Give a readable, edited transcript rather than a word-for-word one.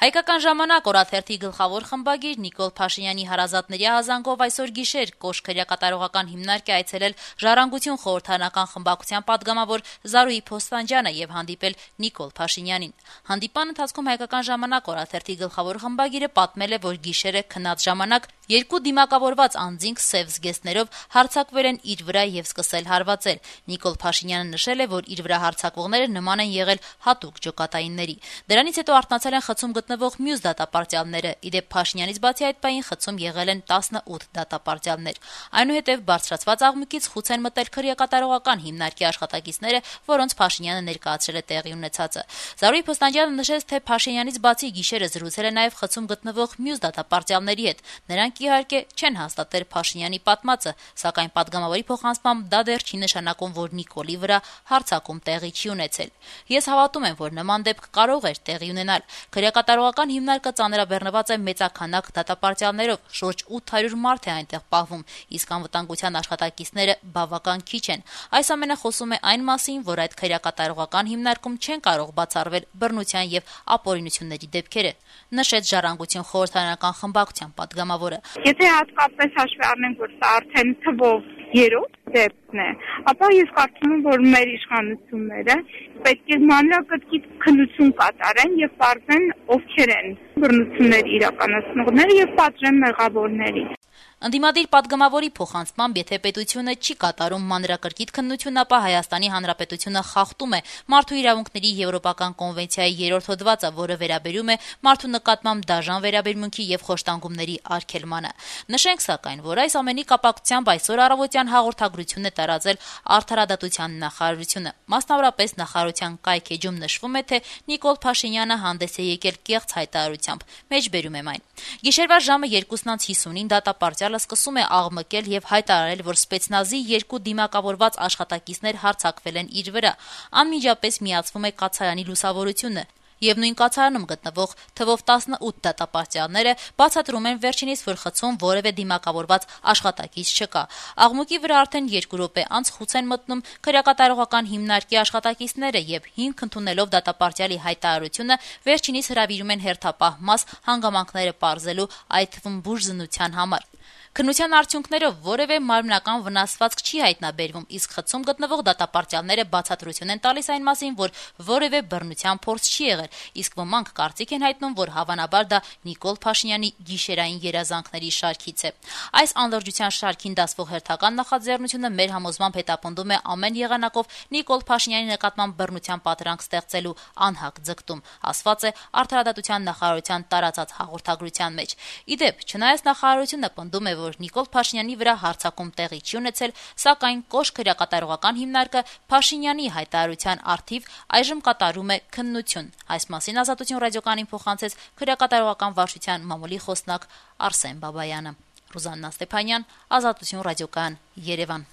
Հայկական ժամանակ օրաթերթի գլխավոր խմբագիր Նիկոլ Փաշինյանի հարազատների ահազանգով այսօր գիշեր Կոշ քրեակատարողական հիմնարկ է այցելել Ժառանգություն խորհրդարանական խմբակցության պատգամավոր Զարուհի Փոստանջյանը եւ հանդիպել Նիկոլ Փաշինյանին։ Հանդիպան ընթացքում Հայկական ժամանակ օրաթերթի գլխավոր խմբագիրը պատմել է, որ գիշերը քնած ժամանակ երկու դիմակավորված անձինք սև զգեստներով հարձակվել են իր վրա եւ սկսել հարվածել։ Նիկոլ Փաշինյանը նշել է, որ իր վրա հարձակվողները նման են եղել հատուկ ջոկատայինների։ Դրանից հետո արթնացել են խցում գտնվող մյուս դատապարտյալները։ Իդեպ Փաշինյանից բացի այդ պահին խցում եղել են 18 դատապարտյալներ։ Այնուհետև բարձրացված աղմուկից խուց են մտել քրեակատարողական հիմնարկի աշխատակիցները, որոնց Փաշինյանը ներկայացրել է տեղի ունեցածը։ Զարուհի Փոստանջյանը նշեց, թե Փաշինյանից բացի գիշերը զրուցել է նաև խցում գտնվող մյուս դատապարտյալների հետ։ Նրանք իհարկե չեն հաստատել Փաշինյանի պատմածը, սակայն պատգամավորի փոխանցմամբ դա դեռ չի նշանակում, որ Նիկոլի վրա հարձակում տեղի չի ունեցել։ Ես հավատում եմ, որ նման դեպք կարող էր տեղի ունենալ։ Քրեակատարողական հիմնարկը ծանրաբեռնված է մեծաքանակ դատապարտյալներով, շուրջ 800 մարդ է այնտեղ պահվում, իսկ անվտանգության աշխատակիցները բավական քիչ են։ Այս ամենը խոսում է այն մասին, որ այդ քրեակատարողական հիմնարկում չեն կարող բացառվել բռնության եւ ապօրինությունների դեպքերը, նշեց Ժառանգություն խորհրդարանական խմբակցության պատգամավորը։ Եթե հատկապես հաշվի առնենք, որ սա արդեն թվով 3-րդ դեպքն է, ապա ես կարծում եմ, որ մեր իշխանությունները պետք է մանրակրկիտ քննություն կատարեն եւ պարզեն ովքեր են բռնություններ իրականացնողները եւ պատժեն մեղավորներին։ Ընդդիմադիր պատգամավորի փոխանցմամբ, եթե պետությունը չի կատարում մանրակրկիտ քննություն, ապա Հայաստանի Հանրապետությունը խախտում է Մարդու իրավունքների Եվրոպական կոնվենցիայի 3-րդ հոդվածը, որը վերաբերում է մարդու նկատմամբ դաժան վերաբերմունքի եւ խոշտանգումների արգելմանը։ Նշենք սակայն, որ այս ամենի կապակցությամբ այսօր առավոտյան հաղորդագրություն է տարածել Արդարադատության նախարարությունը։ Մասնավորապես նախարարության կայքեջում նշվում է, թե Նիկոլ Փաշինյանը հանդես է եկել կեղծ հայտարարությամբ։ Մեջբերում եմ այն։ Գիշերվա ժամը 2:50-ին դատապարտյալը սկսում է աղմկել եւ հայտարարել, որ սպեցնազի երկու դիմակավորված աշխատակիցներ հարձակվել են իր վրա։ Անմիջապես միացվում է կացարանի լուսավորությունը։ Եվ նույն կացարանում գտնվող թվով 18 դատապարտյալները բացատրում են վերջինիս, որ խցում որևէ դիմակավորված աշխատակից չկա։ Աղմուկի վրա արդեն 2 րոպե անց խուց են մտնում քրեակատարողական հիմնարկի աշխատակիցները եւ հիմք ընդունելով դատապարտյալի հայտարարությունը վերջինիս հրավիրում են հերթապահ մաս հանգամանքները պարզելու, այդ թվում բուժզնության համար։ Քննության արդյունքներով որևէ մարմնական վնասվածք չի հայտնաբերվում, իսկ խցում գտնվող դատապարտյալները բացատրություն են տալիս այն մասին, որ որևէ բռնության փորձ չի եղել, իսկ ոմանք կարծիք են հայտնում, որ հավանաբար դա Նիկոլ Փաշինյանի գիշերային երազանքների շարքից է։ Այս անլրջության շարքին դասվող հերթական նախաձեռնությունը մեր համոզմամբ հետապնդում է ամեն եղանակով Նիկոլ Փաշինյանի նկատմամբ բռնության պատրանք ստեղծելու անհակ ձգտում, ասված է Արդարադատության նախարարության տարածած հաղորդագրության մեջ։ Իդեպ, չնայած նախարարությունը պնդում է, որ Նիկոլ Փաշինյանի վրա հարձակում տեղի չի ունեցել, սակայն Կոշ քրեակատարողական հիմնարկը Փաշինյանի հայտարարության առթիվ այժմ կատարում է քննություն։ Այս մասին Ազատություն ռադիոկայանին փոխանցեց քրեակատարողական վարչության մամուլի խոսնակ Արսեն Բաբայանը։ Ռուզաննա Ստեփանյան, Ազատություն ռադիոկայան, Երևան։